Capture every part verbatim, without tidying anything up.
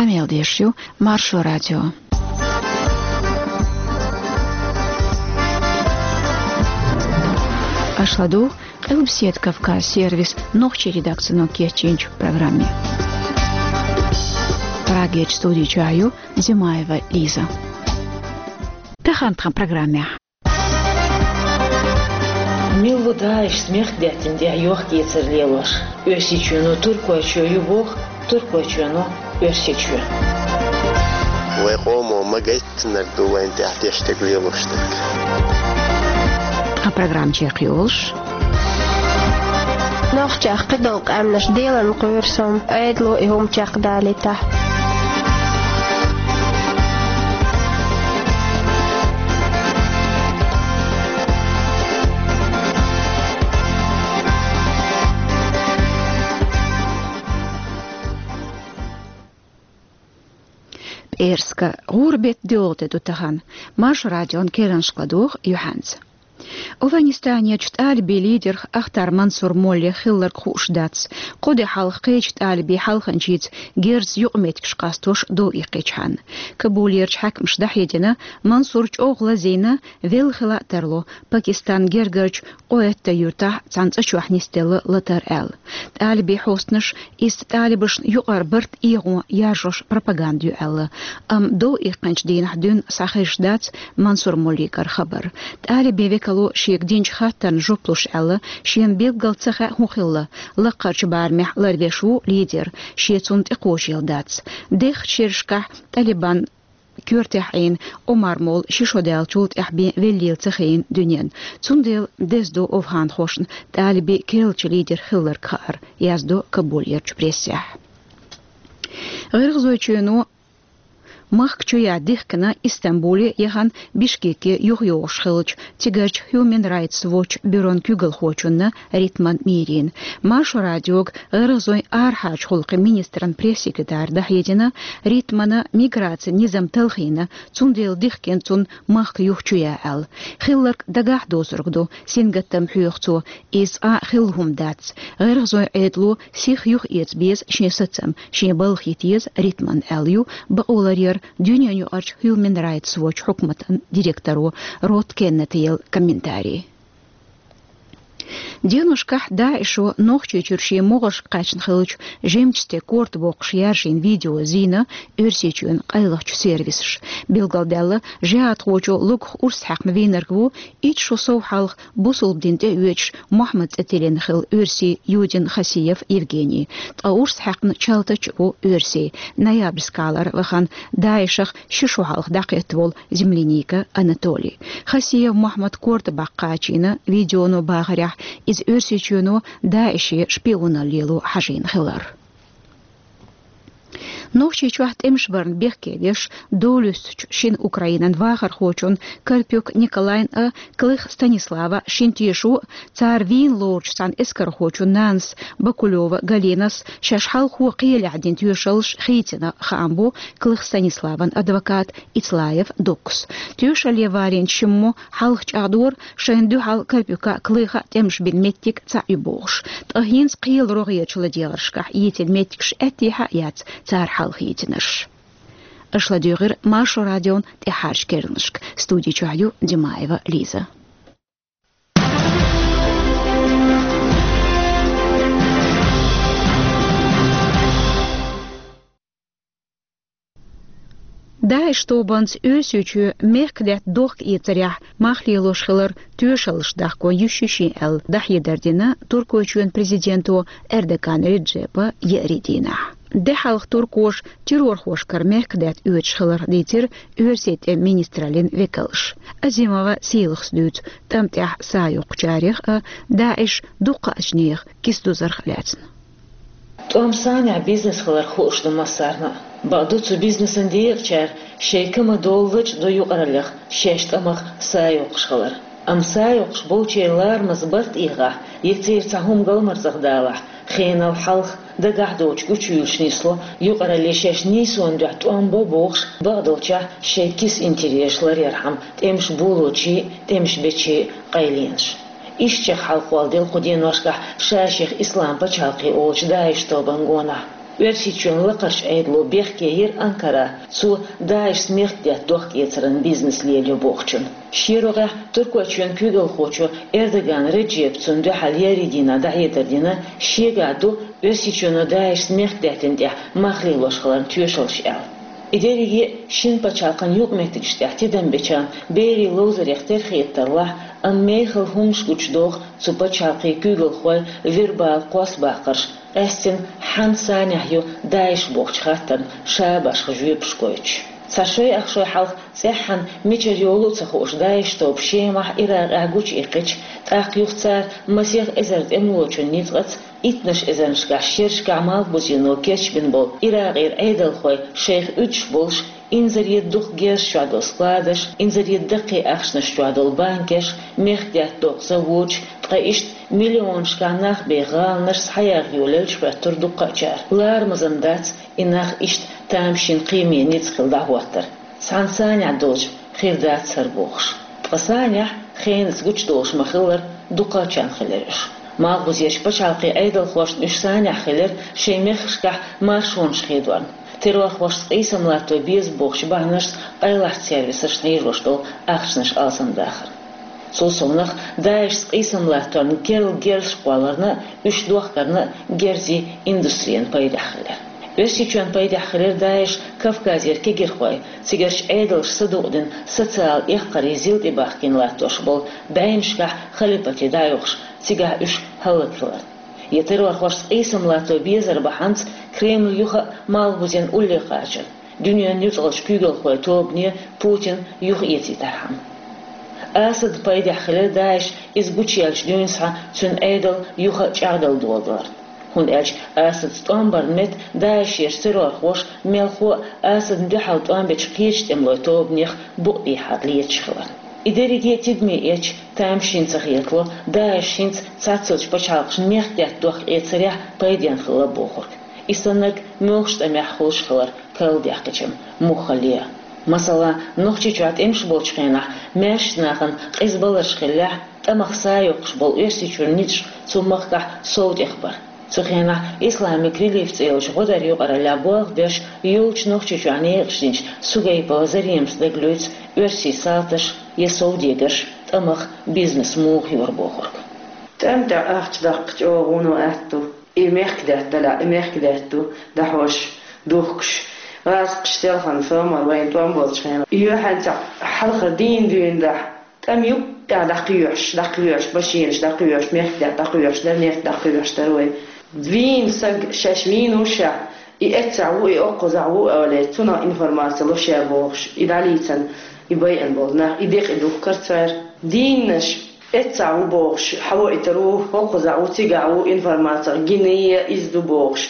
Къамел деш ю Маршо радио. Аша ладугӀу Къилбаседа Кавказ сервисан нохчийн редакцино кечйинчу программе. Прагерчу студи чохь ю Димаева Лиза. Тахана тхан программехь. Мила ву ДАИШ мехкдаьттина тӀехь йохк-эцар лелош? Оьрсийчоьно Туркойчоь ю боху, Туркойчоьно Оьрсийчоь. Вайн къомо ма гайтинарг ду вайна тӀехь деш дерг, лелош дерг. Тхан программа чекхйолуш. Нохчех кхидолу къаьмнаш делан кхоьру со, Ӏедало и хӀума чекхдалийтахь. ПӀераска гӀуран беттан доьалгӀа де ду тахана. Маршо радион керланашка ладугӀу юьхьанца. Афганистанерчу тӀалибийн лидерх Ахтар Мансур Моллех хилларг хууш дац, кхо де хьалха кхечу тӀалибийн хьалханчица герзаца юкъаметтигаш къастош дов иккхичхьана. Кабулерчу хьаькамаша дӀахьедина, Мансур чӀогӀа лазийна, велла хила а тарло, Пакистанан гергарчу Къоэтта юьртахь цхьана цӀа чохь нисделла латар аьлла. ТӀалибийн хьостанаша иза тӀалибашна юкъара барт эгӀо яржош пропаганда ю аьлла. Амма дов иккхинчу дийнахь дуьйна схьахезаш дац Мансур Моллигара хабар. ТӀалибийн векало шега динчу хаттарна жоп луш аьлла, шена билггал ца хаьа хӀун хилла. Лаккхарчу барамехь ларвеш ву лидер, шен цунна тӀекхочийла дац. Дехачу шерашкахь Талибан коьртехь Ӏийна Омар-молла ши шо даьллачул тӀаьхьа бен веллийла ца хиъна дуьненна. Цундела деза ду афганхошна тӀалибийн керлачу лидер хилларг хаар, яздо Кабулерчу прессехь. ГӀиргӀазойчоьно махка чу ян дихкина Истамбуле, яхана Бишкеке юхайогӀуш хиллачу цигарчу Human Rights Watch бюрон куьйгалхочунна Ритман Мирина. Маршо радиога гӀиргӀазойн арахьарчу гӀуллакхийн министран пресс-секретара дӀахьедина, Ритмана миграцин низам талхийна, цундела дихкина цунна махка юха чу ян аьлла. Хилларг дагахь доцург ду, сингаттам хьоьху цо, иза цкъа а хилла хӀума дац. ГӀиргӀазойн Ӏедало сиха юхаэца беза шен сацам, шен балха йита еза Ритман аьлла ю бакъоларъяран дуьненаюкъарчу Human Rights Watch хьукматан директоро Рот Кеннета елла комментарий. Деношкахь ДАИШо Нохчийчуьра шен могӀаршка кхаьчна хиллачу жимчу стеган корта боккхуш яржийна видео зийна Оьрсийчоьнан къайлахчу сервисаша. Билгалдаьлла, жихӀадхочо логух урс хьаькхна вийнарг ву итт шо сов хьалха бусалба дин тӀеоьцуш Мухьаммад цӀе тиллина хилла оьрси Юдин Хасиев Евгений. Ткъа урс хьаькхна чалтача а ву оьрси. Ноябрь скалара вахана ДАИШах ши шо хьалха дӀакхетта волу Земляника Анатолий. Хасиев Мухьаммад корта баккха кхачийна, видеоно бахарехь, иза Оьрсийчоьно ДАИШе шпионалла лело хьажийна хилар. Нохчийчохь тӀемаш барна бехке деш, долуьстучу шина Украинан вахархочун Карпюк Николайн а, Клых Станислава шина тешо а, цара вийна лоручу цхьана эскархочун нанас Бакулева Галинас шаьш хьалхо кхелехь дина тоьшаллаш хийцина хаам бо Клых Станиславан адвокат Ицлаев Доккас. Тоьшалле валийначу шиммо хьалха чӀагӀдора, шайна дуьхьал Карпюка а, Клыха а тӀемаш бина меттиг цхьаъ ю бохуш. Ткъа хӀинца кхелан рогӀерчу ладегӀаршкахь йийцина меттигаш аьттехьа а яц цара хьалхайийцинарш. Аша ладуьйгӀира Маршо радион тӀаьххьарчу керланашка. Студи чохь ю Димаева Лиза. ДАИШ тобанца Оьрсийчоь мехкдаьтта дохка-эцарехь мах лелош хилар тоьшаллаш дахко йиш ю шен аьлла, дӀахьедар дина Туркойчоьнан президенто Эрдоган Реджепа еарин дийнахь. Де хьалха туркоша террорхошкара мехкдаьтта оьцуш хиларх дийцира оьрсийн тӀеман министраллин векалша. Азимова Сийлахас дуьйцу тӀам тӀехь са йоккхучарех а, ДАИШ дукхачу нехан киса дузарх а лаьцна. ТӀом санехь бизнес хиларх хууш ду массарна а. Бакъду, цу бизнесан декъачара шайн ка ма-доллу лачкъа ду юкъараллех шаьш тӀамах са йоккхуш хилар. Амма са йоккхуш болчеран ларамаза барт эгӀахь, я церан цхьа хӀума галмарзах далахь, хенал хьалха дагахь доцуш гучуюьйлуш нисло, юкъаралле шаьш нийсонан дуьхьа тӀом бо бохуш, бакъдолчехь шайн киса интересаш ларъярхьама тӀемаш болочийн а, тӀемаш бечийн а къайленаш. Иштта чекхъялхолла делла кху деношкахь ша-шех Ислам пачхьалкхе олучу ДАИШ тобанан гонахь. Оьрсийчоьнан лакхарчу Ӏедало бехке йира Анкара, цо ДАИШ-ца мехкдаьтта дохк-эцаран бизнес лелайо бохучун. Шен рогӀехь Туркойчоьнан куьйгалхочо Эрдоган Реджепа цунна дуьхьал еарин дийнахь дӀахьедар дина, шегахь ду Оьрсийчоьно ДАИШ-ца мехкдаьттан тӀехь мах лелош хиларна тоьшаллаш аьлла. И дерриге шина пачхьалкхан юкъаметтигаш тӀехь тидам бечарна берийн ловзарех тера хетаралахь, амма мехала хӀуманаш гучудоху цу пачхьалкхийн куьйгалхой вербала кхоссабаккхарш, къаьстина хьан санехь ю ДАИШ бохучу хаттарна ша башха жоьпаш гойтуш. Цхьа шой-ах шой хьалха цӀеххьана мичара йолу а ца хууш ДАИШ тоба Шемахь, Иракъехь гучуиккхича, тӀаккха юха цара масех эзар тӀемалочун ницкъаца, иттаннаш эзарнашкахь шерашкахь Малхбузено кечбина болу Иракъера Ӏедалхой шайх уьдуш болуш, инзаре дукха герзаш чохь долу складаш, инзаре даккхий ахчанаш чохь долу банкеш, мехкдаьтта доккху заводаш, ткъа иштта миллионашкахь нах беха гӀаланаш схьаяха йолаелча хӀоьттура дуккха а чара. Ларамазан дац и нах иштта тамашийна кхиаме ницкъ хила дӀахӀоттар. Цхьана санехь долчу хир дац хӀара бохуш. Ткъа санехь хенаца гучудолуш ма-хиллара, дукхачарна хилира уьш. Малхбузерчу пачхьалкхийн Ӏедалхошна уьш санехь хилира шайн мехкашкахь маршонаш хедорна. Террорхошца къийсам латто беза бохучу бахьанашца къайлахчу сервисашна хьийжош долу ахчанаш алсамдахар. Цул совнах, ДАИШ-ца къийсам латторна керла герзаш кхолларна а, уьш дохкарна а герзийн индустрина пайдехь хилира. Оьрсийчоьнна пайдехь хилира ДАИШ Кавказера кегирхой, цигарчу Ӏедалша садукъдина социалан эккхарийн зил тӀебахкийна латтош болу бӀеннашкахь халипате дӀайохуш, цигахь уьш хӀаллакьхиларна. Я террорхошца къийсам латто безар бахьанца Кремль юха а Малхбузен улле кхачар, дуьненан нуьцкъалчу куьйгалхойн тобане Путин юхаэцийтархьама. Асадан пайдехь хилира ДАИШ иза гучуяьллачу дуьйна схьа цуьнан Ӏедал юха а чӀагӀдала доладаларна. ХӀунда аьлча Асадца тӀом барна метта ДАИШерчу террорхоша мелхо а Асадна дуьхьал тӀом бечу кхечу тӀемалойн тобанех букъ дехьа леташ хиларна. И дерриге а тидаме эцча, тамашийна ца хетало, ДАИШ хӀинца цхьаццалчу пачхьалкхашна мехкдаьтта дохк-эцарехь пайденна хилла бохург. И саннарг муьлхачу тӀамехь хуьлуш хилар карладаьккхича муххале а. Масала, Нохчийчохь тӀемаш болчу хенахь маьршачу нахана къиза баларш хиллехь, тӀамах са йоккхуш болу Оьрсийчуьра ницкъаш цу махкахь сов тӀехбара. Цу хенахь Исламик релиф цӀе йолчу гӀодаран юкъараллехь болх беш, йолчу Нохчийчохь некъаш динчу Сугайпова Заремас дагалоьцу оьрсийн салташ я совдегарш тӀамах бизнес муха йора бохург. ТӀам тӀехь ахча даккха чӀогӀа вуно аьтто. И мехкдаьтта далахь, и мехкдаьтта ду, дӀахьош, духкуш, гӀазкхаш селхана, сомал вайна тӀом болчу хенахь. И юьхьанца хьалхара дийна дуьйна дахь, тӀам юккъехь дӀакхоьхьуш, дӀакхоьхьуш, машинаш дӀакхоьхьуш, мехкдаьтта дӀакхоьхьуш дара, мехкдаьтта дӀакхоьхьуш дара вай. Вийна саг шаьш вийна вушшехь, и эццахь ву, и оккхузахь ву олий, цунах информаци луш яра бохуш, и дӀалийцина, и байина болу нах, и декъий духкура цара. Дийннаш эццахь ву бохуш, хьавоуьйтур ву, хӀокхузахь ву, цигахь ву, информаци гина я иза ду бохуш.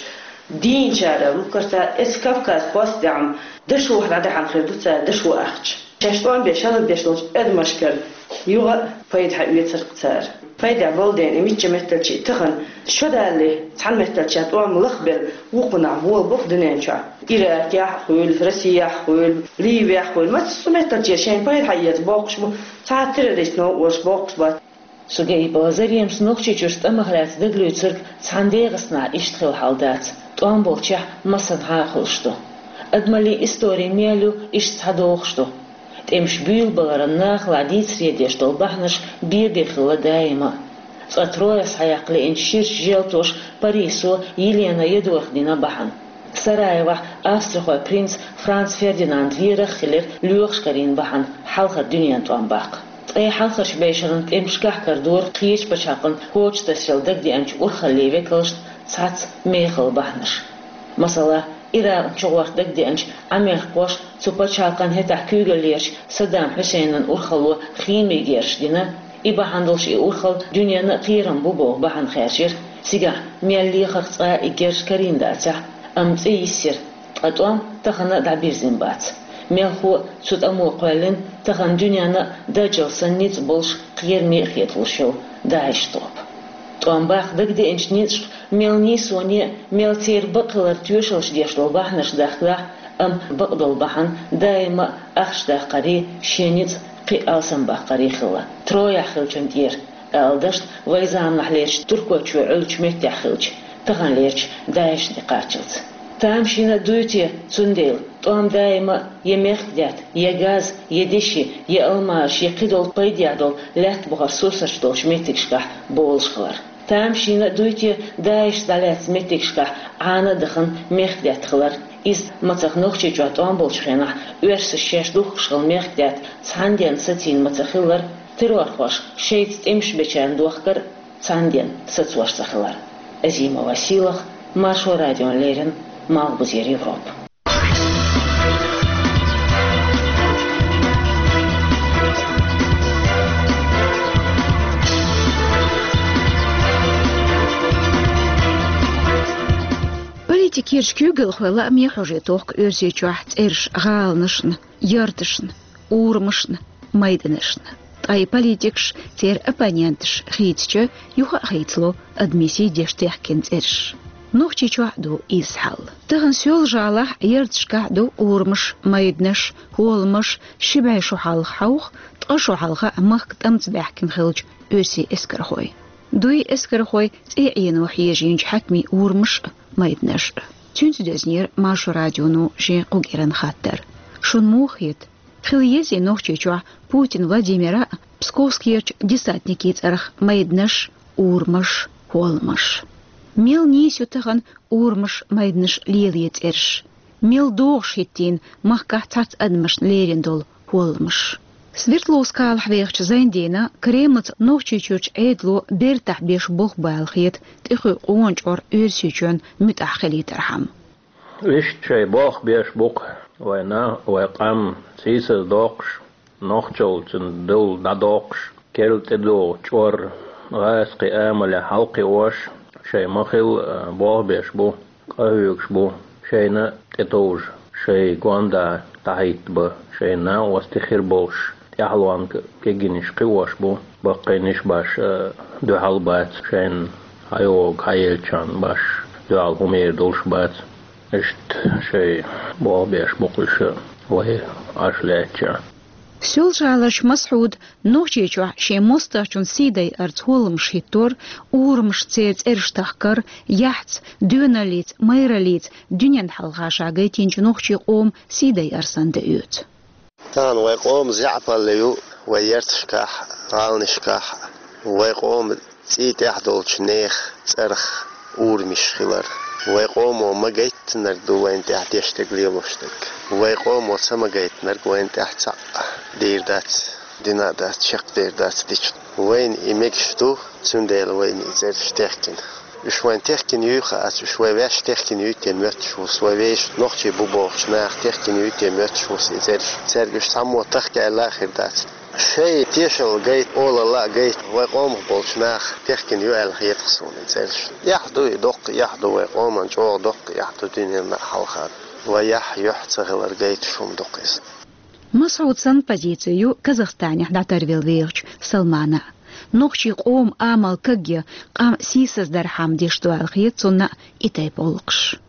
Дийначара луьйкхура цара, эцу Кавказ-Постехь-м дашо дӀадаьхьна хир ду цара, дашо ахча. Шаьш тӀом беш, хӀаллакдеш долчу адамашкара юха а пайда хьаоьцура цара. Пайдехь болу дела, и мичча метталчий тахана, шо далале, цхьана метталча тӀом лахбелла, вукхунахь болабо-кх дуьнен чохь. Иракехь а хуьлу, Россехь а хуьлу, Ливехь а хуьлу, массо а метталчера шайна пайда хьаэца боккхуш бу, цхьа а террорист новкъа волуш боккхуш бац. Сугайпова Заремас Нохчийчуьрчу тӀамах лаьцна дагалуьйцург цхьана ДегӀастанахь иштта хилла хьал дац, тӀом болчехь массанхьа а хуьлуш ду. Адамаллин истори мел ю, иштта схьадогӀуш ду. ТӀемаш буьйлабаларан нахалахь дийцаре деш долу бахьанаш бен-бен хилла даима а. Цкъа Трояс схьаяккха лиъначу ширачу желтоша Парисо Елена Едорх дина бахьана. Сараевохь австрихойн принц Франц Фердинанд верах а хилира лоьхуш карийна бахьана хьалхара дуьненан тӀом баккха. Ткъе хьалхарчу бӀешеран тӀемашкахь карадора кхечу пачхьалкхан коча тасъяла дагадеанчу урхаллийн векалшна цхьацца мехала бахьанаш. Масала, Иракъна чугӀорта дагадеанчу Ӏамеркхоша цу пачхьалкхан хӀетахь куьйгаллерчу Саддам Хьусейнан урхалло химин герзаш дина, и бахьана долуш и урхалла дуьненна а кхерам бу боху бахьана хаьржира, цигахь мел лехарх цкъа а и герзаш карийна дацахь а, амма цӀе йиссира, ткъа тӀом тахана а дӀабирзина бац. Мелхо а цу тӀамо кхоьллина тахана дуьненна а даджал санна ницкъ болуш, кхераме а хеталуш йолу ДАИШ тоба. ТӀом баккха дагадеанчу ницкъашка мел нийсоне а, мел церан бакъ хиларан тоьшаллаш деш долу бахьанаш дахкалахь а, амма бакъдолу бахьана даима а ахча даккхарий, шен ницкъ кхин а алсамбаккхарий хилла. Трояхь хиллачун тӀера, ала дашна, вайн заманахьлерчу Туркойчоь Ӏуьллучу меттехь хиллачу, таханлерчу ДАИШна тӀекхаччалц. Тамашийна а дуй те, цундела тӀом даима а е мехкдаьтта, е газ, е деши, е алмаш, е кхыдола пайдехь долу лаьтта бухара сурсарчу долчу меттигашкахь болуш хилар. Тамашийна а дуй те, ДАИШ дӀалаьцна меттигашкахь Ӏана а дахана мехкдаьтта хилар. Иза мацах Нохчийчохь тӀом болчу хенахь оьрсаша шаьш духкуш хилла мехкдаьтта цхьана денна сацийна ма ца хиллара, террорхоша шайца тӀемаш бечарна дохкар а цхьана денна сацош ца хилар. Азимова Сийлаха, Маршо радиона леррина, Малхбузера Европа. Политикерчу куьйгалхойн лааме хьожий тохку Оьрсийчохь цӀераш гӀаланашна, ярташна, урамашна, майданашна. Ткъа и политикаш, церан оппоненташ хийцича, юха а хийцало адамийн сий деш техкина цӀераш. Нохчийчохь а ду изза хьал. Тахана Соьлжа-ГӀалахь а, ярташкахь а ду урамаш, майданаш, хӀолламаш, ши бӀе шо хьалха хьовха, ткъа шо хьалха а махка тӀамца баьхкина хиллачу оьрсийн эскархой. Дуй эскархой цӀе Ӏено хьежийначу хьаькамийн урамаш а, майданаш а. Цуьнца доьзнера Маршо радионо шен кху кӀиран хаттар. Шуна муха хета? Хила езий Нохчийчохь Путин Владимира а, Псковскерчу десантникийн цӀарах майданаш, урамаш, хӀолламаш? Мел нийса ю тахана урамаш, майданаш лелае цӀераш? Мел догӀуш хӀиттийна махкахь цхьацца адамашна лерина долу хӀолламаш? Свердловскалахь вехачу Зайндина Кремлаца Нохчийчуьрчу Ӏедало бертахь беш болх бу аьлла хета тӀекхуьу къона чкъор Оьрсийчоьнна муьтӀахь хилийтархьама. Иштта шайн болх беш бу-кх вайн нах, вайн къам сийсаз доккхуш, нохчалла цуьнан дулла дӀадоккхуш, керла тӀедогӀу чкъор гӀазкхийн амалехь хьалакхиош, шайн ма-хилла, а, болх беш бу, къахьоьгуш бу, шайна а тӀетовжа, шайн гондахь дӀахӀиттабан, шайн накъостий хир болуш, тӀаьхьалонга кегийнаш кхиош бу, баккхийнаш баш, а, дуьхьал бац, шайна хьайогӀу хьаеллачарна баш дуьхьал хӀумма эр долуш бац. Иштта шайн болх беш бу-кх уьш вай Ӏаш лаьттачохь. Соьлжа-ГӀаларчу Масхьуда Нохчийчохь шен мостагӀчун сий дайарца хӀолламаш хӀиттор, урамашна церан цӀераш тахкар, яхьца, доьналлица, майраллица дуьненна хьалха ша гайтинчу нохчийн къоман сий дайар санна де оьцу. Тахана вайн къоман заьӀапалла ю вайн ярташкахь а, гӀаланашкахь а. Вайн къоман цӀий тӀехь долчу нехан цӀарах урамаш хилар. Вайн къомо ма гайттинарг ду вайна тӀехь деш дерг, лелош дерг. Вайн къомо ца ма гайттинарг вайна тӀехь цхьаъ дийр дац, дина а дац, чекхдер дац дича. Вайна и мегаш ду, цундела вайна и цӀераш техкина. Уьш вайна техкина юй хаац, уьш вай ваьш техкина юй те моьттуш ву со, вай вешан нохчий бу бохучу наха техкина юй те моьттуш ву со и цӀераш. Цаьрга уьш цхьаммо тахка аьлла а хир дац. Шайн тешалла гайта, олалла а гайта, вайн къомах болчу наха техкина ю аьлла хета-кх суна и цӀераш. Эхь ду и, доккха эхь ду вайн къоман, чӀогӀа доккха эхь ду дуьненна а хьалха. Вайн яхь, юьхь ца хилар гайташ хӀума ду-кх иза. Масхьуд санна позици ю Казахстанехь дӀатарвелла вехачу Салмана. Нохчийн къоман амал кагъян, къам сийсаздархьама деш ду аьлла хета цунна и тайпа гӀуллакхаш.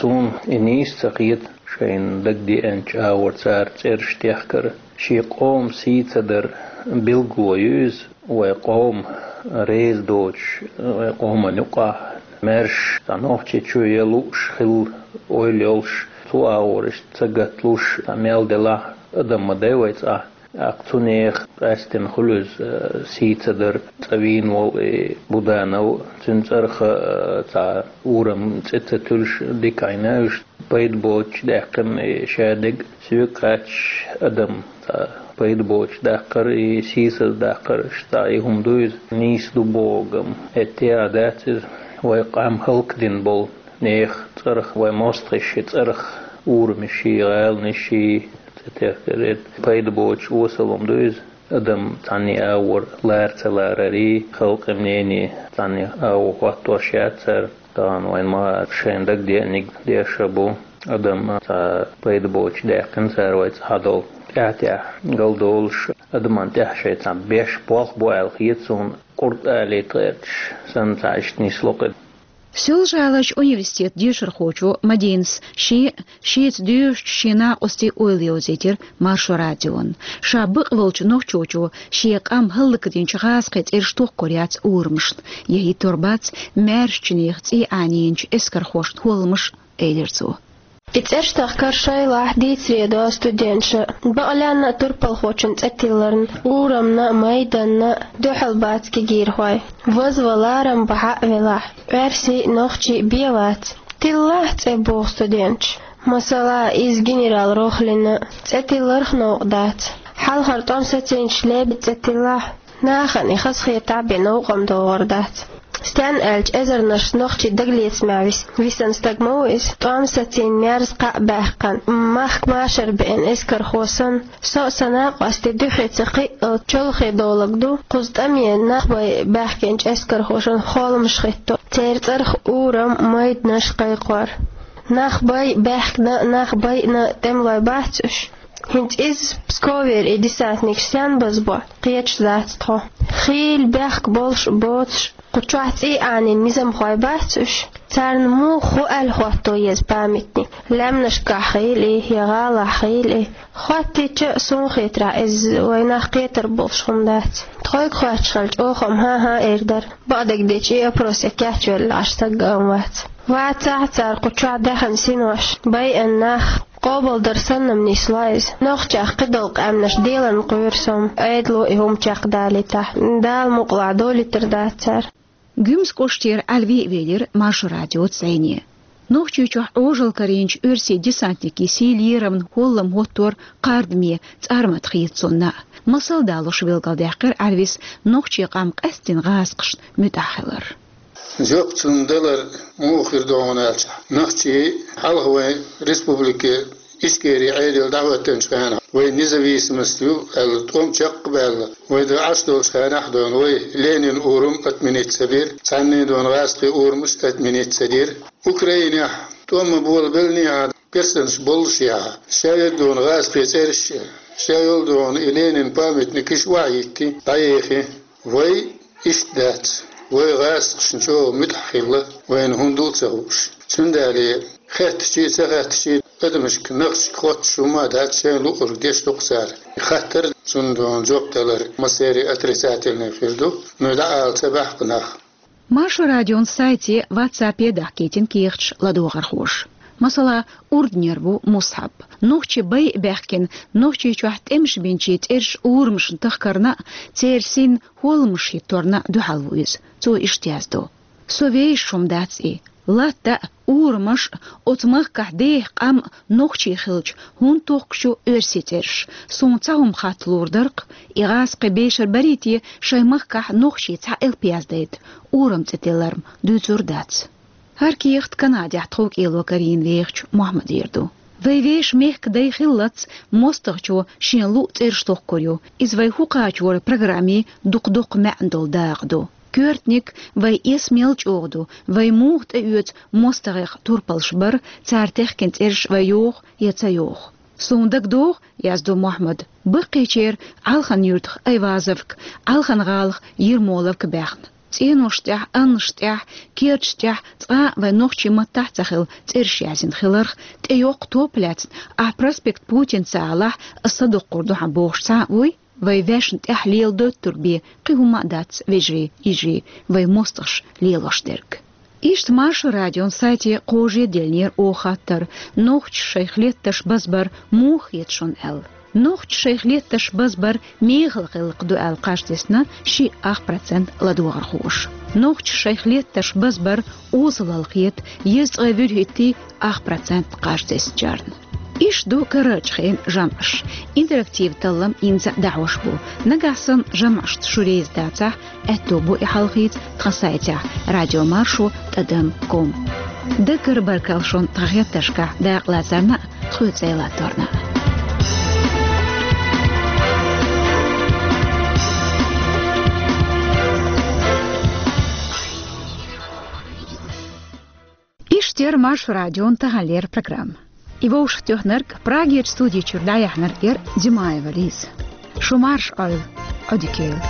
Суна и нийса ца хета, шайна дагадеанчу агӀор цара цӀераш техкар. Шен къоман сий ца дар билгало ю иза, вайн къоман реза доцуш, вайн къоман юкъахь маьрша цхьа Нохчийчоь ян лууш хилла ойла йолуш, цу агӀор иштта ца гатлуш, цхьа мел делахь а адам ма дай вай цӀахь. ТӀаккха цу нехан къаьстина хуьлу иза, э, сий ца дар. ЦӀа вийна волу и Буданов, цуьнан цӀарах, э, цхьа урам цӀе ца туьллуш, дика Ӏийна уьш, пайда боцуш даьккхина и шадерг, соьга хаьттича, адам цхьа пайда боцуш даккхар, и сийсаз даккхар, иштта цхьа и хӀума ду иза, нийса ду бохург-м, хӀетте а дац иза, вайн къам хӀаллакдина болу нехан цӀарах, вайн мостагӀийн цӀарах урамаший, гӀаланаший, цӀе техкар, хӀетте пайда боцуш осал хӀума ду иза. Адам цхьанний агӀор лара ца ларарий, халкъан мнение цхьанний агӀор хӀоттош яц цара. Тахана вайна ма-, шайна дагадеанарг деш а бу. Адам цхьа пайда боцуш даьккхина цара вай цӀахь долу. ТӀаьхь-тӀаьхьа галдолуш, адаман тӀехь шайн цхьа беш болх бу аьлла хета суна, къурд алийта гӀерташ санна, цхьа иштта нисло-кх и. Соьлжа-ГӀаларчу университетан дешархочо Мадинас шен, шеца доьшучу шен накъостийн ойла йовзийтира Маршо радиона. Ша бакъ волчу нохчочо шен къам хӀаллакдинчу гӀазкхийн цӀераш тохкор яц урамашна, я хӀиттор бац маьршачу нехан цӀий Ӏанийначу эскархошна хӀолламаш. элира цо. И цӀераш тахкар шайлахь дийцаре до студенташа, бакъ лаьнна а турпалхочун цӀе тилларна, урамна а, майданна а дуьхьал бац кегийрхой. Вазван ларам бахьа а велахь, оьрсий а, нохчий а бен вац. Тиллалахь цӀе, боху студенташа. Масала, иза генерал Рохлина цӀе тилларх новкъа дац. Хьалхара тӀом сацийначу Лебеда цӀе тиллахь, нахана и хазахетахь бен новкъа-м догӀур дац. Стенна аьлча, эзарнаш нохчий дагалецамехь вис-, висина стаг ма ву иза. ТӀом сацийна, мерза кхаъ баьккхина, махка машар беана эскархо санна, со а, сан накъостий а дуьхе ца кхиъалц чолхе долург ду, кхуза тӀаме нах бай баьхкинчу эскархошна холламаш хӀитто, церан цӀарах урам, майданаш кхайкхор. Нах бай баьхкина а, нах байъина а тӀемалой бац уьш? ХӀинца иза Псковера и десантникаш стенна базбо, кхеташ дац тхо. Хийла бехк болуш а, боцуш а, кху чохь цӀий Ӏанийна низамхой бац уьш? Царна муха хӀу аьлла хӀотто еза памятник? Лаьмнашкахь хийла и, я гӀалахь хийла и? Хоттийча а, суна хетарехь, иза вайн нах кхетар болуш хӀума дац. Тхойга хоьттуш хилча, оха-м хӀан-хӀа эр дара. Бакъдерг дийцича, и опрос кечвелла Ӏаш стаг а вац. Вацахь а, цара кху чохь даьхна синош, байъина нах къобалдар санна-м нисло иза. Нохчех кхидолу къаьмнаш делан кхоьру со-м, Ӏедало и хӀума чекхдалийтахь, Дала мукъалахь долуьйтур дац цара. Гуьмсан кӀоштера Ӏаьлви а велира Маршо радиоца зӀене. Нохчийчохь Ӏожалла карийначу оьрсийн десантникийн сийлен лерамна холлам хӀоттор кхардаме цӀармат хета цунна. Масал далуш билгалдаьккхира Ӏаьлвис нохчийн къам къаьсттина гӀазкхашна муьтӀахь хилар. Жоп цунна далар муха хир ду хьуна аьлча, нохчий хьалха вайн республике Ичкери Ӏедал дӀахӀоьттинчу хенахь, вай независимость ю аьлла, тӀом чекх а баьлла, вай дан Ӏаш долчу хенахь а дона, вай Ленин урам отменить ца бира, цхьанний дона гӀазкхийн урамаш отменить ца дира. Украинехь тӀом ма болабеллинехь а, персонаш боллушехь а, шаверг дона гӀазкхийн цӀераш а, шайолу дона и Ленин памятникаш а охьахӀитти, дӀаехи. Вай иштта дац. Вай гӀазкхашна чӀогӀа муьтӀахь хилла, вайна хӀунда а ца хууш. Цундела хаьттича а, ца хаьттича а, адамашка, нахчашка хоттуш хӀума а дац, шайна луъург деш ду-кх цара. Хаттар, цунна жоп далар массеран отрицательный хир ду, но дӀаала ца баьхна нах. Маршо радион сайте, ватсапе дахкийтина кехаташ ладогӀархоша. Масала, урданера ву Мусхьаб. Нохчий бай а баьхкина, Нохчийчохь тӀемаш бинчийн цӀераш урамашна тахкарна а, церан синна холламаш хӀитторна а дуьхьал ву иза. Цо иштта яздо: «Со вешаш хӀума дац и. Латта а, урамаш а, оцу махкахь деха къам а нохчийн хилча, хӀунда тохкуш ю оьрсийн цӀераш? Суна цхьа хӀума хатталур дара-кх, и гӀазкхи бешар барий те, шайн махкахь нохчийн цхьа элп яздайта, урам цӀе тиллар-м дуьйцур дац». ХӀара кехат Канадехь тховкӀело карийна вехачу Мохьмадера ду. Вай вешан мехкан дай хиллалц, мостагӀчо шена луъу цӀераш тохкур ю. Иза вай хӀу кхачоран программин дукха-дукха маьӀна долу дакъа ду. Коьртаниг, вай эс мел чӀогӀа ду, вай муха тӀеоьцу мостагӀех турпалш бар, цара техкина цӀераш вай йоху я ца йоху. Суна дагадогӀу, яздо Мохьмада, баккхийчеран Алхан-Юьртах Айвазовка, Алхан-ГӀалах Ермоловка баьхна. ЦӀенош тӀехь, аннаш тӀехь, керташ тӀехь цкъа а вайн нохчийн маттахь а ца хилла цӀераш язйина хиларх, тӀейоккху топ лаьцна, ахь проспект Путин ца алахь, ас садоккхур ду хьан бохуш цхьа а вуй? Вай вешна тӀехь лела доттург бен кхин хӀума а дац, вежарий, йижарий, вай мостагӀаша лелош дерг. Иштта Маршо радион сайте кхоже а деллинера оха хаттар: нохчаша шайх леттарш базбар муха хета шуна аьлла. Нохчаша шайх леттарш базбар мехала гӀиллакх ду аьлла кхаж тесна шиъ ах процент ладогӀархоша. Нохчаша шайх леттарш базбар осалалла хета езткъе вуьрхӀитта ах процент кхаж теснарчарна. Иштта ду карарчу хенан жамӀаш. Интерактив таллам инза а дӀахьош бу. Нагахь санна жамӀашца шу реза дацахь, аьтто бу и хьалхийца тхан сайтехь радиомаршо тӀадам ком. Даггара баркалла шуна тхан хеттаршкахь дакъалацарна а, тхоьца цӀе латторна а. Иштта яра Маршо радион таханлера программа. И вовшахтоьхнарг, Прагерчу студи чуьра дӀаяьхьнарг яра Димаева Лиза. Шу марша Ӏойла, Ӏодика йойла.